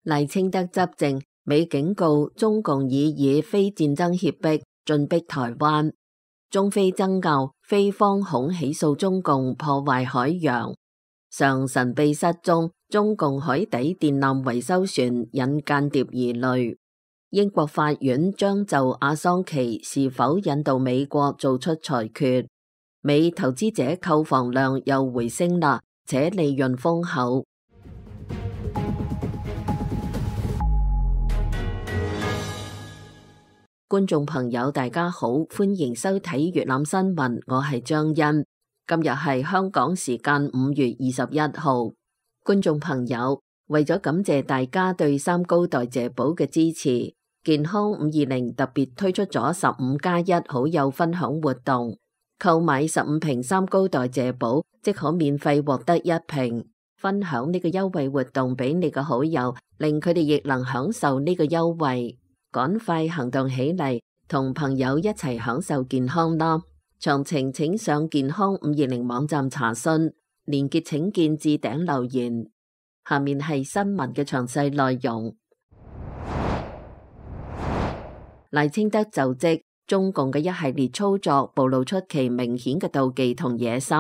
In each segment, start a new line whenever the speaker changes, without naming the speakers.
賴清德執政，美警告中共以非戰爭脅迫進逼台灣，中非爭拗，菲方恐起訴中共破壞海洋。常神秘失蹤，中共海底電纜維修船引間諜疑慮。英國法院將就阿桑奇是否引渡美國做出裁決。美投資者購房量又回升啦，且利潤豐厚。觀眾朋友大家好，歡迎收睇粵覽新聞，我係張欣。今日係香港時間5月21號。觀眾朋友，為咗感謝大家對三高代謝寶嘅支持，健康520特別推出咗15+1好友分享活動，購買15瓶三高代謝寶即可免費獲得1瓶。分享呢個優惠活動俾你嘅好友，令佢哋亦能享受呢個優惠。趕快行動起嚟，同朋友一齊享受健康啦！詳情請上健康520網站查詢，連結請見置頂留言。下面係新聞嘅詳細內容。賴清德就職，中共嘅一系列操作暴露出其明顯嘅妒忌同野心。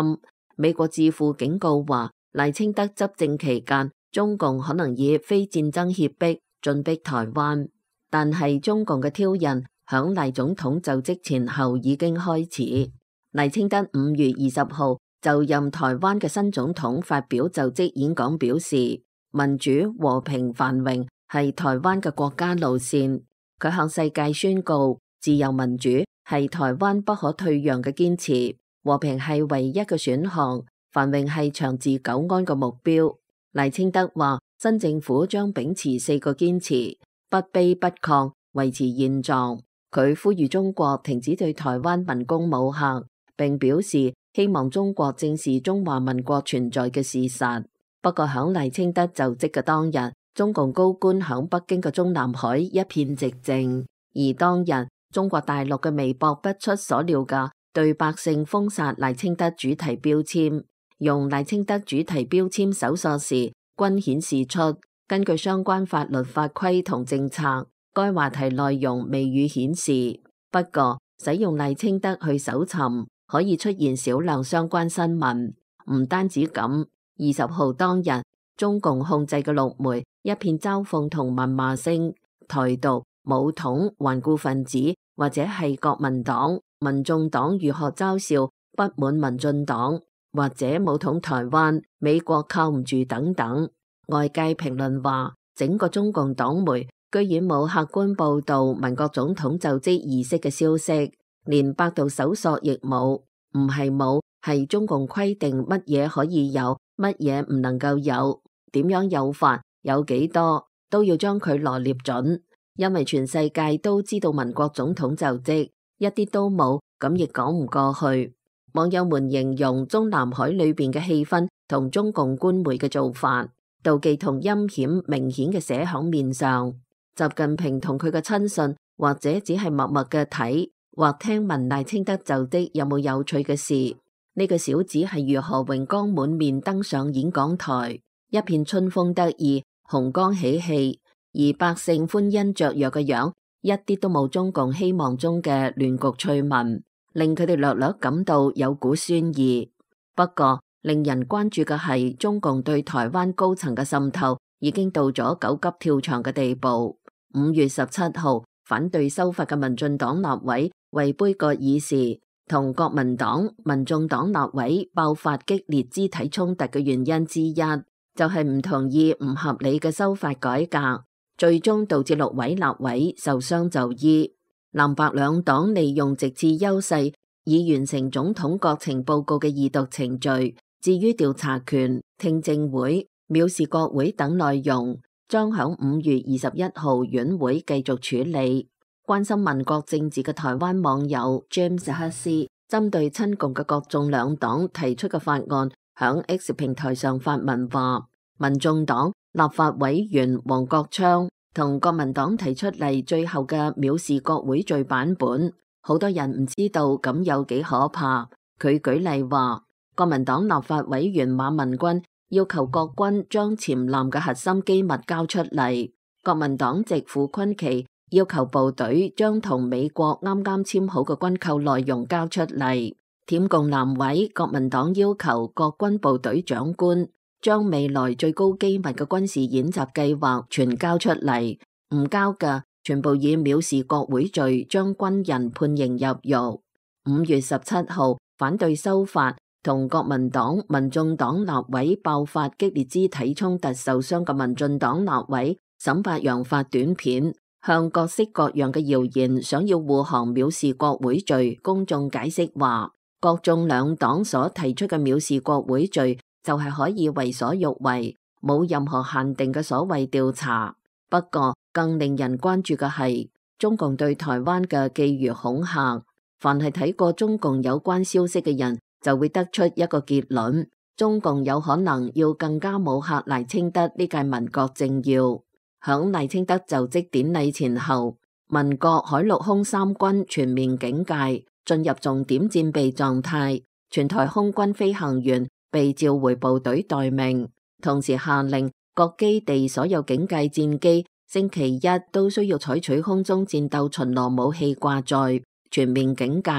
美國智庫警告話，賴清德執政期間，中共可能以非戰爭脅迫進逼台灣。但係中共嘅挑釁響賴總統就職前後已經開始。賴清德5月20號就任台灣嘅新總統發表就職演講，表示民主、和平、繁榮係台灣嘅國家路線。佢向世界宣告，自由民主係台灣不可退讓嘅堅持，和平係唯一嘅選項，繁榮係長治久安嘅目標。賴清德話，新政府將秉持4個堅持。不卑不亢，維持現狀。佢呼籲中國停止對台灣文攻武嚇，並表示希望中國正視中華民國存在嘅事實。不過響賴清德就職嘅當日，中共高官響北京嘅中南海一片寂靜。而當日中國大陸嘅微博不出所料嘅對百姓封殺賴清德主題標籤，用賴清德主題標籤搜索時，均顯示出根據相關法律法規同政策，該話題內容未予顯示。不過，使用賴清德去搜尋，可以出現少量相關新聞。唔單止咁，20號當日，中共控制嘅陸媒一片嘲諷同謾罵聲，台獨、武統、頑固分子或者係國民黨、民眾黨如何嘲笑不滿民進黨，或者武統台灣，美國靠唔住等等。外界評論話，整個中共黨媒居然冇客觀報道民國總統就職儀式嘅消息，連百度搜索亦冇。唔係冇，係中共規定乜嘢可以有，乜嘢唔能夠有，點樣有法，有幾多，都要將佢羅列準。因為全世界都知道民國總統就職，一啲都冇，咁亦講唔過去。網友們形容中南海裏邊嘅氣氛同中共官媒嘅做法，妒忌同陰險明顯嘅寫響面上。習近平同佢嘅親信或者只係默默嘅睇或聽聞賴清德就職有冇有趣嘅事。呢個小子係如何榮光滿面登上演講台，一片春風得意，紅光喜氣，而百姓歡欣雀躍嘅樣，一啲都冇中共希望中嘅亂局趣聞，令佢哋略略感到有股酸意。不過，令人關注嘅係中共對台灣高層嘅滲透已經到咗狗急跳牆嘅地步。5月17號，反對修法嘅民進黨立委為杯葛議事，同國民黨、民眾黨立委爆發激烈肢體衝突嘅原因之一，就係唔同意唔合理嘅修法改革，最終導致6位立委受傷就醫。藍白兩黨利用席次優勢，以完成總統國情報告嘅二讀程序。至於調查權、聽證會、藐視國會等內容，將響5月21號院會繼續處理。關心民國政治嘅台灣網友 James 克斯，針對親共嘅國眾兩黨提出嘅法案，響 X 平台上發文話，民眾黨立法委員黃國昌同國民黨提出嚟最後嘅藐視國會罪版本，好多人唔知道咁有幾可怕。佢舉例話，國民黨立法委員馬文君要求國軍將潛艦嘅核心機密交出嚟。國民黨籍傅崑萁要求部隊將同美國啱啱簽好嘅軍購內容交出嚟。舔共南委國民黨要求國軍部隊長官將未來最高機密嘅軍事演習計劃全交出嚟，唔交嘅全部以藐視國會罪將軍人判刑入獄。5月17號，反對修法同國民黨、民眾黨立委爆發激烈肢體衝突受傷嘅民進黨立委沈伯洋發短片，向各式各樣嘅謠言想要護航藐視國會罪公眾解釋話，國眾兩黨所提出嘅藐視國會罪就係可以為所欲為，冇任何限定嘅所謂調查。不過更令人關注嘅係中共對台灣嘅覬覦恐嚇。凡係睇過中共有關消息嘅人就會得出一個結論，中共有可能要更加武嚇賴清德呢屆民國政要。響賴清德就職典禮前後，民國海陸空三軍全面警戒，進入重點戰備狀態，全台空軍飛行員被召回部隊待命，同時下令各基地所有警戒戰機星期一都需要採取空中戰鬥巡邏武器掛載，全面警戒。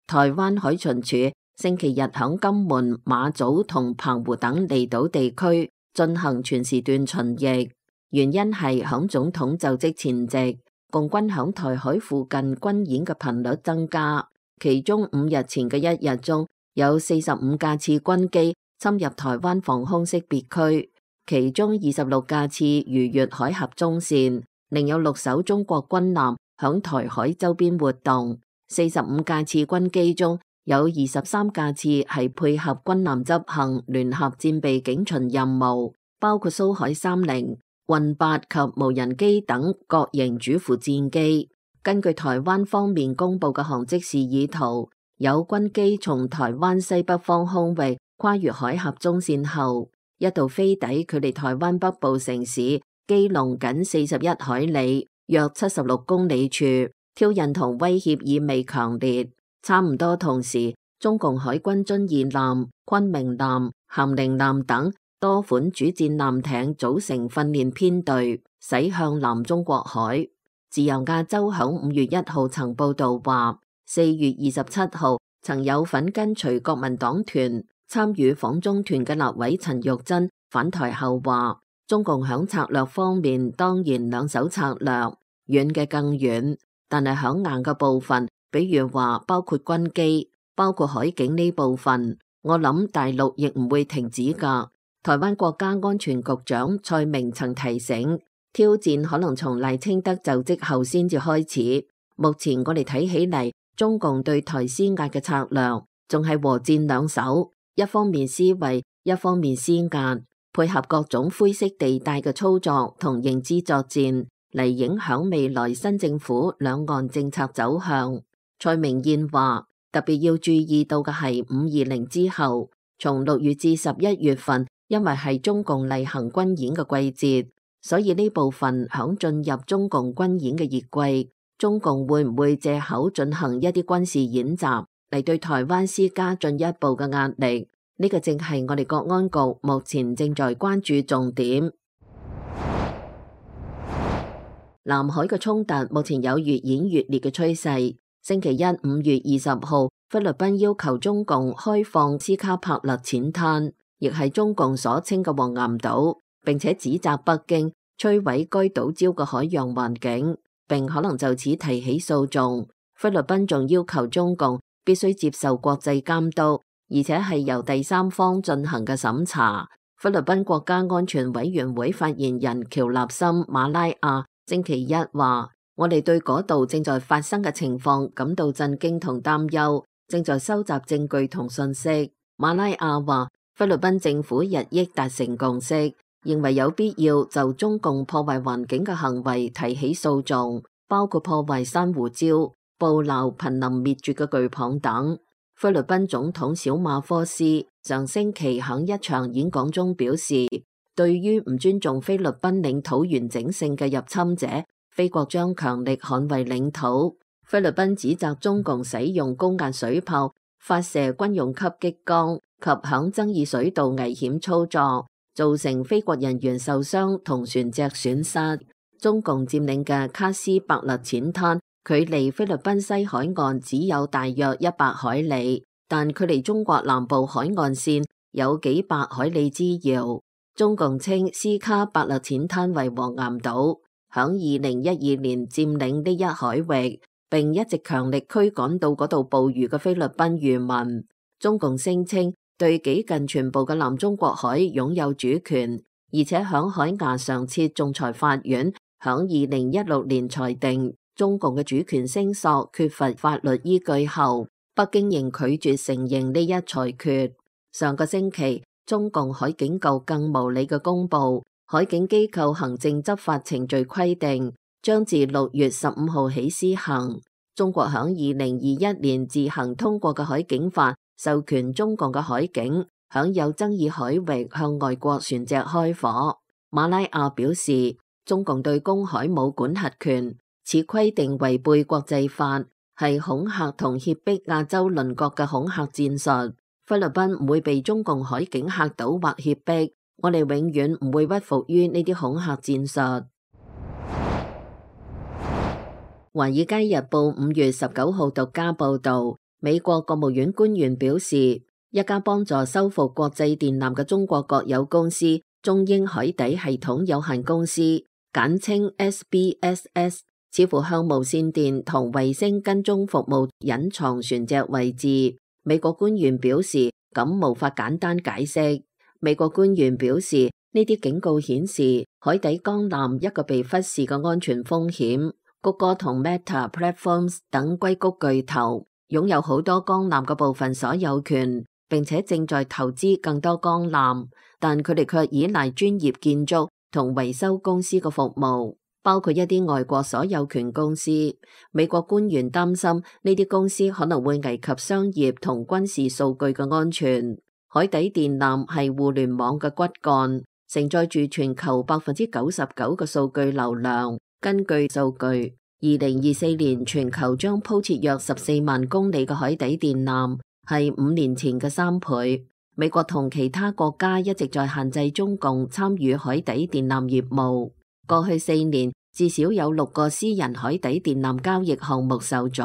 台灣海巡署星期日響金門、馬祖同澎湖等離島地區進行全時段巡弋，原因係響總統就職前夕，共軍響台海附近軍演嘅頻率增加，其中5日前嘅一日中有45架次軍機侵入台灣防空識別區，其中26架次逾越海峽中線，另有6艘中國軍艦響台海周邊活動。45架次軍機中有23架次係配合軍艦執行聯合戰備警巡任務，包括蘇海30、運8及無人機等各型主副戰機。根據台灣方面公布嘅航跡示意圖，有軍機從台灣西北方空域跨越海峽中線後，一度飛抵距離台灣北部城市基隆僅41海里，約76公里處，挑釁同威脅意味強烈。差唔多同時，中共海軍遵義艦、昆明艦、咸寧艦等多款主戰艦艇組成訓練編隊，駛向南中國海。自由亞洲響5月1號曾報道話，4月27號曾有份跟隨國民黨團參與訪中團嘅立委陳玉珍返台後話，中共響策略方面當然兩手策略，遠嘅更遠，但係響硬嘅部分，比如話包括軍機、包括海警呢部分，我諗大陸亦唔會停止㗎。台灣國家安全局長蔡明曾提醒，挑戰可能從賴清德就職後先至開始。目前我哋睇起嚟，中共對台施壓嘅策略仲係和戰兩手，一方面施惠，一方面施壓，配合各種灰色地帶嘅操作同認知作戰嚟影響未來新政府兩岸政策走向。蔡明彥話，特別要注意到嘅係520之後，從6月至11月份，因為係中共例行軍演嘅季節，所以呢部分響進入中共軍演嘅熱季，中共會唔會借口進行一啲軍事演習嚟對台灣施加進一步嘅壓力？呢個正係我哋國安局目前正在關注重點。南海嘅衝突目前有越演越烈嘅趨勢。星期一5月20號，菲律賓要求中共開放斯卡帕勒淺灘，亦係中共所稱嘅黃岩島，並且指責北京摧毀該島礁嘅海洋環境，並可能就此提起訴訟。菲律賓仲要求中共必須接受國際監督，而且係由第三方進行嘅審查。菲律賓國家安全委員會發言人喬納森馬拉亞星期一話，我哋對嗰度正在發生嘅情況感到震驚同擔憂，正在收集證據同信息。馬拉亞話，菲律賓政府日益達成共識，認為有必要就中共破壞環境嘅行為提起訴訟，包括破壞珊瑚礁、捕撈瀕臨滅絕嘅巨蚌等。菲律賓總統小馬科斯上星期喺一場演講中表示，對於唔尊重菲律賓領土完整性嘅入侵者，菲國將強力捍衛領土。菲律賓指責中共使用高壓水炮發射軍用級激光及響爭議水道危險操作，造成菲國人員受傷同船隻損失。中共佔領嘅卡斯伯勒淺灘距離菲律賓西海岸只有大約100海里，但距離中國南部海岸線有幾百海里之遙。中共稱斯卡伯勒淺灘為黃岩島，響2012年佔領呢一海域，並一直強力驅趕到嗰度捕魚嘅菲律賓漁民。中共聲稱對幾近全部嘅南中國海擁有主權，而且響海牙常設仲裁法院響2016年裁定中共嘅主權聲索缺乏法律依據後，北京仍拒絕承認呢一裁決。上個星期，中共海警局更無理嘅公布，海警機構行政執法程序規定將自6月15號起施行。中國響2021年自行通過嘅海警法，授權中共嘅海警響有爭議海域向外國船隻開火。馬拉亞表示，中共對公海冇管轄權，此規定違背國際法，係恐嚇同脅迫亞洲鄰國嘅恐嚇戰術。菲律賓唔會被中共海警嚇倒或脅迫，我哋永遠唔會屈服於呢啲恐嚇戰術。華爾街日報5月19號獨家報道，美國國務院官員表示，一家幫助修復國際電纜嘅中國國有公司中英海底系統有限公司，簡稱 SBSS， 似乎向無線電同衛星跟蹤服務隱藏船隻位置。美國官員表示，咁無法簡單解釋。美國官員表示，呢啲警告顯示海底光纜一個被忽視嘅安全風險。谷歌同 Meta Platforms 等硅谷巨頭擁有好多光纜嘅部分所有權，並且正在投資更多光纜，但佢哋卻依賴專業建築同維修公司嘅服務，包括一啲外國所有權公司。美國官員擔心呢啲公司可能會危及商業同軍事數據嘅安全。海底電纜係互聯網嘅骨幹，承載住全球99%嘅數據流量。根據數據，2024年全球將鋪設約14萬公里嘅海底電纜，係5年前嘅3倍。美國同其他國家一直在限制中共參與海底電纜業務。過去4年，至少有6個私人海底電纜交易項目受阻。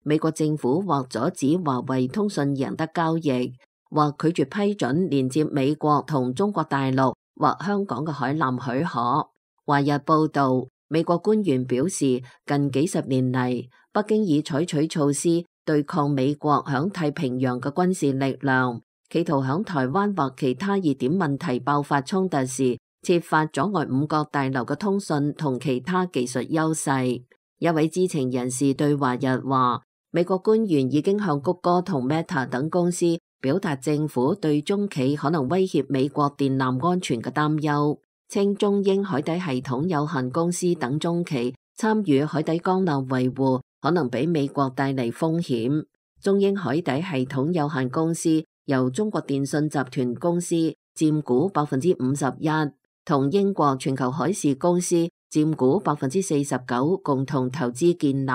美國政府或阻止華為通訊贏得交易，或拒絕批准連接美國同中國大陸或香港嘅海纜許可。華日報道，美國官員表示，近幾十年嚟，北京已採取措施對抗美國響太平洋嘅軍事力量，企圖響台灣或其他熱點問題爆發衝突時，設法阻礙五角大樓嘅通訊同其他技術優勢。一位知情人士對華日話，美國官員已經向谷歌同 Meta 等公司表達政府對中企可能威脅美國電纜安全嘅擔憂。稱中英海底系統有限公司等中企參與海底光纜維護，可能俾美國帶嚟風險。中英海底系統有限公司由中國電信集團公司佔股51%，同英國全球海事公司佔股49%共同投資建立。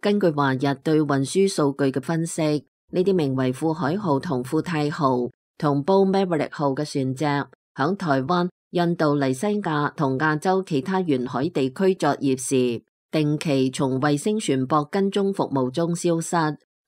根據華日對運輸數據嘅分析，呢啲名為富海號同富泰號同 Bull Maverick 號嘅船隻響台灣、印度尼西亞同亞洲其他沿海地區作業時，定期從衛星船舶跟蹤服務中消失，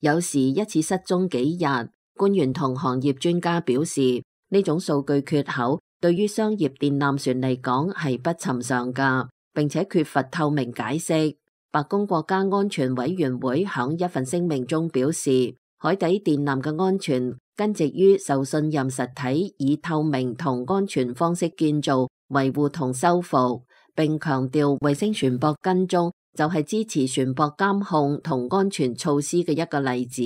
有時一次失蹤幾日。官員同行業專家表示，呢種數據缺口對於商業電纜船嚟講係不尋常㗎，並且缺乏透明解釋。白宮國家安全委員會響一份聲明中表示，海底電纜嘅安全根植於受信任實體以透明同安全方式建造、維護同修復，並強調衛星船舶跟蹤就係支持船舶監控同安全措施嘅一個例子。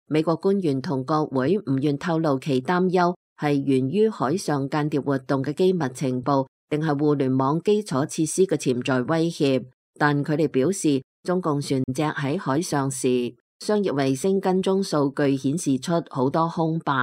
美國官員同國會唔願透露其擔憂係源於海上間諜活動嘅機密情報，定係互聯網基礎設施嘅潛在威脅。但佢哋表示，中共船隻喺海上時，商業衛星跟蹤數據顯示出好多空白。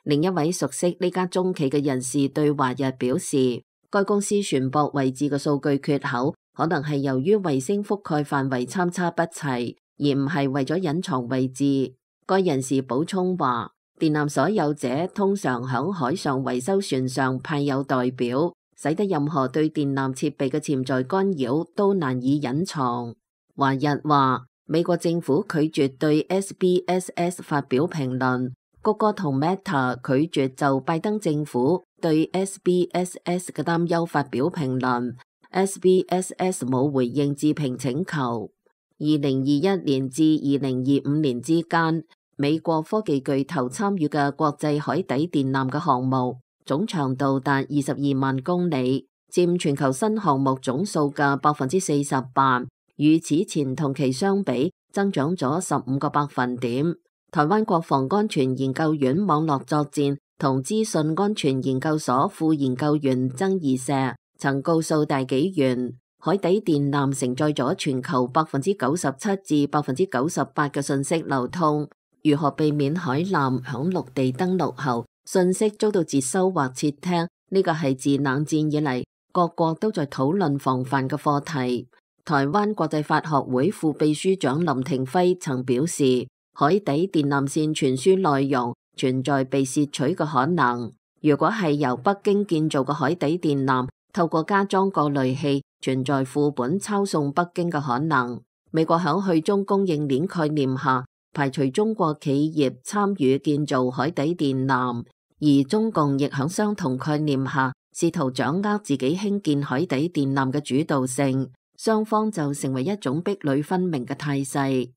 另一位熟悉呢家中企嘅人士對華日表示，該公司船舶位置嘅數據缺口可能係由於衛星覆蓋範圍參差不齊，而唔係為咗隱藏位置。該人士補充話，電纜所有者通常響海上維修船上派有代表，使得任何對電纜設備嘅潛在干擾都難以隱藏。華日話，美國政府拒絕對 SBSS 發表評論，谷歌同 Meta 拒絕就拜登政府對 SBSS 嘅擔憂發表評論。SBSS 冇回應置評請求。2021年至2025年之間，美國科技巨頭參與嘅國際海底電纜嘅項目總長度達22萬公里，佔全球新項目總數嘅48%，與此前同期相比增長咗15個百分點。台灣國防安全研究院網絡作戰同資訊安全研究所副研究員曾義碩曾告訴大紀元，海底電纜承載咗全球97%至98%嘅信息流通。如何避免海纜響陸地登陸後信息遭到接收或竊聽？呢個係自冷戰以嚟各國都在討論防範嘅課題。台灣國際法學會副秘書長林廷輝曾表示，海底電纜線傳輸內容存在被竊取嘅可能。如果係由北京建造嘅海底電纜，透過加裝過濾器，存在副本抄送北京嘅可能。美國響去中供應鏈概念下，排除中國企業參與建造海底電纜，而中共亦響相同概念下，試圖掌握自己興建海底電纜嘅主導性，雙方就成為一種壁壘分明嘅態勢。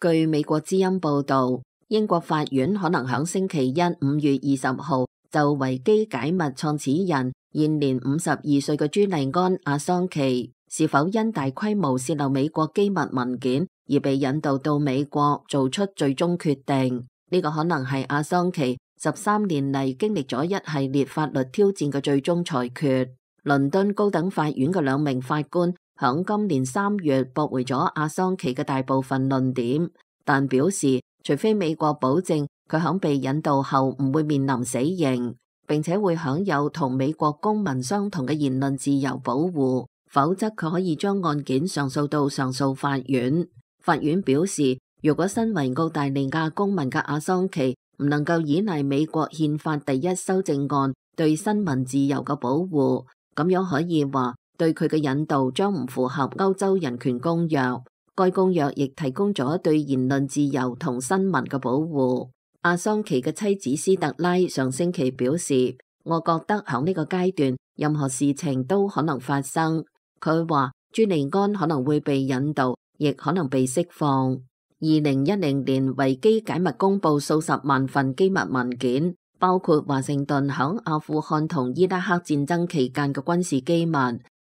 據美國之音報道，英國法院可能響星期一5月20號就維基解密創始人現年52歲嘅朱利安·阿桑奇是否因大規模洩漏美國機密文件而被引渡到美國做出最終決定。呢個可能係阿桑奇13年嚟經歷咗一系列法律挑戰嘅最終裁決。倫敦高等法院嘅2名法官響今年3月駁回咗阿桑奇嘅大部分論點，但表示除非美國保證佢響被引渡後唔會面臨死刑，並且會享有同美國公民相同嘅言論自由保護，否則佢可以將案件上訴到上訴法院。法院表示，如果身為澳大利亞公民嘅阿桑奇唔能夠依賴美國憲法第1修正案對新聞自由嘅保護，咁樣可以話對佢嘅引渡將唔符合歐洲人權公約。該公約亦提供咗對言論自由同新聞嘅保護。阿桑奇嘅妻子斯特拉上星期表示，我覺得響呢個階段任何事情都可能發生。佢話朱利安可能會被引渡，亦可能被釋放。2010年維基解密公布數十萬份機密文件，包括華盛頓響阿富汗同伊拉克戰爭期間嘅軍事機密。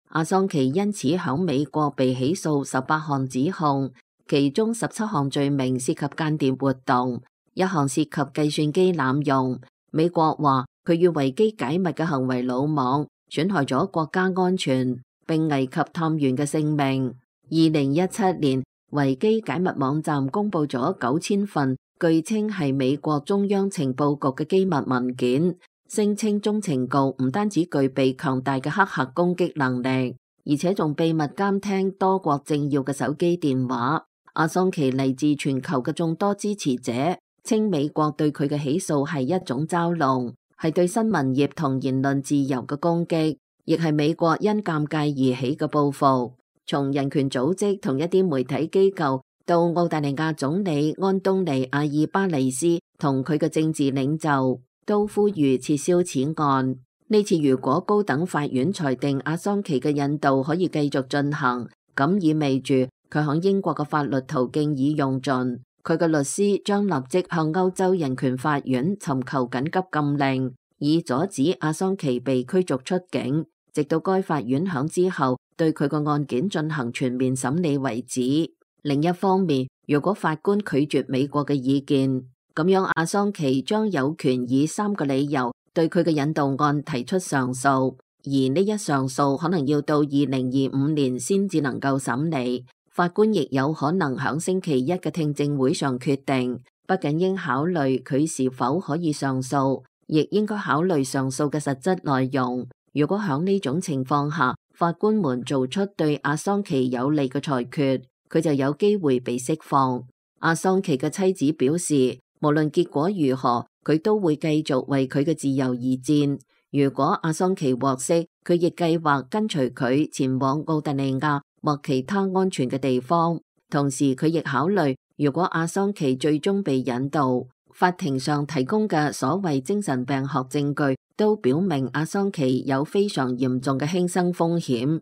阿桑奇因此響美國被起訴18項指控，其中17項罪名涉及間諜活動，1項涉及計算機濫用。美國話佢與維基解密嘅行為魯莽，損害咗國家安全，並危及探員嘅性命。2017年，維基解密網站公布咗9000份據稱係美國中央情報局嘅機密文件，聲稱中情局唔單止具備強大嘅黑客攻擊能力，而且仲秘密監聽多國政要嘅手機電話。阿桑奇嚟自全球嘅眾多支持者稱美國對佢嘅起訴係一種嘲弄，係對新聞業同言論自由嘅攻擊，亦係美國因尷尬而起嘅報復。從人權組織同一啲媒體機構到澳大利亞總理安東尼·阿爾巴尼斯同佢嘅政治領袖都呼籲撤銷此案。呢次如果高等法院裁定阿桑奇嘅引渡可以繼續進行，咁意味住佢響英國嘅法律途徑已用盡，佢嘅律師將立即向歐洲人權法院尋求緊急禁令，以阻止阿桑奇被驅逐出境，直到該法院響之後對佢個案件進行全面審理為止。另一方面，如果法官拒絕美國嘅意見，咁樣阿桑奇將有權以3個理由對佢嘅引渡案提出上訴，而呢一上訴可能要到2025年先至能夠審理。法官亦有可能響星期一嘅聽證會上決定，不僅應考慮佢是否可以上訴，亦應該考慮上訴嘅實質內容。如果響呢種情況下，法官們做出對阿桑奇有利嘅裁決，佢就有機會被釋放。阿桑奇嘅妻子表示，無論結果如何，佢都會繼續為佢嘅自由而戰。如果阿桑奇獲釋，佢亦計劃跟隨佢前往澳大利亞或其他安全嘅地方。同時，佢亦考慮，如果阿桑奇最終被引渡，法庭上提供嘅所謂精神病學證據都表明阿桑奇有非常嚴重嘅輕生風險。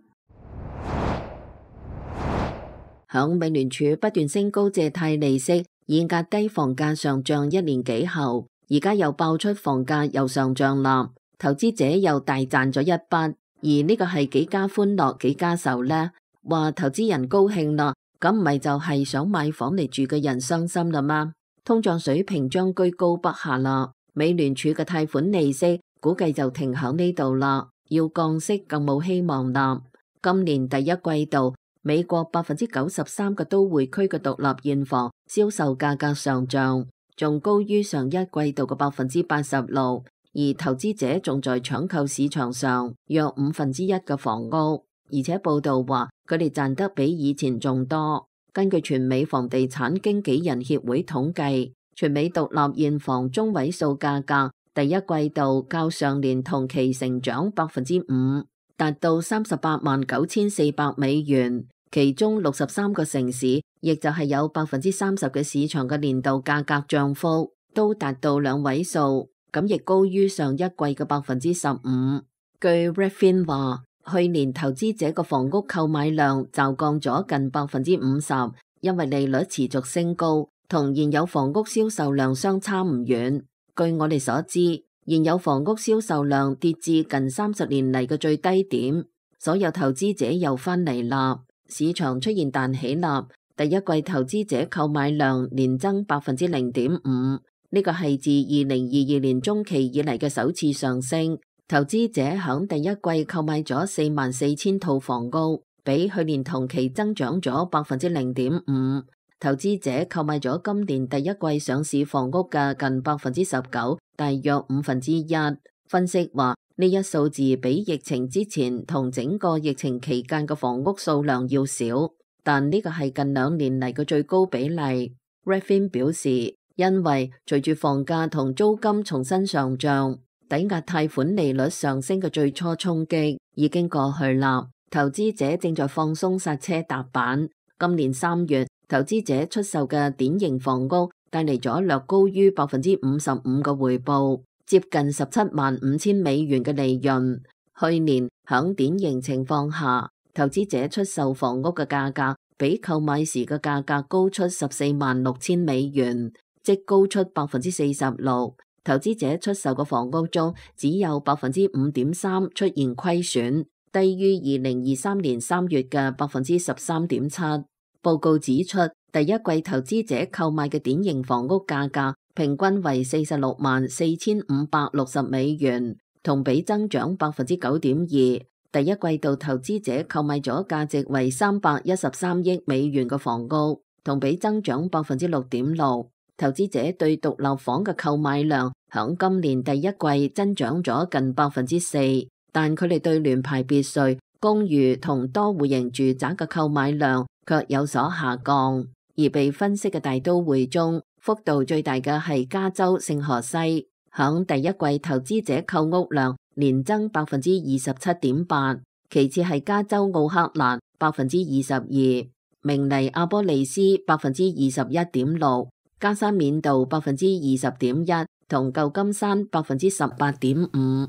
響美聯儲不斷升高借貸利息以壓低房價上漲1年幾後，而家又爆出房價又上漲啦，投資者又大賺咗一筆，而呢個係幾家歡樂幾家愁呢？話投資人高興啦，咁唔係就係想買房嚟住嘅人傷心啦嗎？通脹水平將居高不下啦，美聯儲嘅貸款利息估計就停響呢度啦，要降息更冇希望啦。今年第一季度，美國93%嘅都會區嘅獨立現房銷售價格上漲，仲高於上一季度嘅86%，而投資者仲在搶購市場上約1/5嘅房屋，而且報道話佢哋賺得比以前仲多。根據全美房地產經紀人協會統計，全美獨立現房中位數價格第一季度較上年同期成長5%，達到389400美元。其中63個城市，亦就係有30%嘅市場嘅年度價格漲幅都達到兩位數，咁亦高於上一季嘅15%。據 Redfin 話，去年投資者嘅房屋購買量驟降咗近50%，因為利率持續升高，同現有房屋銷售量相差唔遠。據我哋所知，現有房屋銷售量跌至近30年嚟嘅最低點，所有投資者又返嚟啦。市場出現彈起啦，第一季投資者購買量年增0.5%，呢個係自2022年中期以嚟嘅首次上升。投資者響第一季購買咗44000套房屋，比去年同期增長咗0.5%。投資者購買咗今年第一季上市房屋嘅近19%，大約1/5。分析話，呢一數字比疫情之前同整個疫情期間嘅房屋數量要少，但呢個係近2年嚟嘅最高比例。Redfin 表示，因為隨住房價同租金重新上漲，抵押貸款利率上升嘅最初衝擊已經過去啦，投資者正在放鬆剎車踏板。今年3月，投資者出售嘅典型房屋帶嚟咗略高於55%嘅回報，接近175000美元嘅利潤。去年響典型情況下，投資者出售房屋嘅價格比購買時嘅價格高出146000美元，即高出46%。投資者出售嘅房屋中，只有5.3%出現虧損，低於2023年3月嘅13.7%。報告指出，第一季投資者購買嘅典型房屋價格平均為464560美元，同比增長9.2%。第一季度投資者購買咗價值為313億美元嘅房屋，同比增長6.6%。投資者對獨立房嘅購買量響今年第一季增長咗近4%，但佢哋對聯排別墅、公寓同多戶型住宅嘅購買量卻有所下降。而被分析嘅大都會中，幅度最大嘅係加州聖荷西，響第一季投資者購屋量年增27.8%，其次係加州奧克蘭22%，明尼阿波利斯21.6%，加沙緬度20.1%，同舊金山18.5%。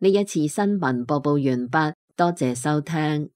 呢一次新聞播報完畢，多謝收聽。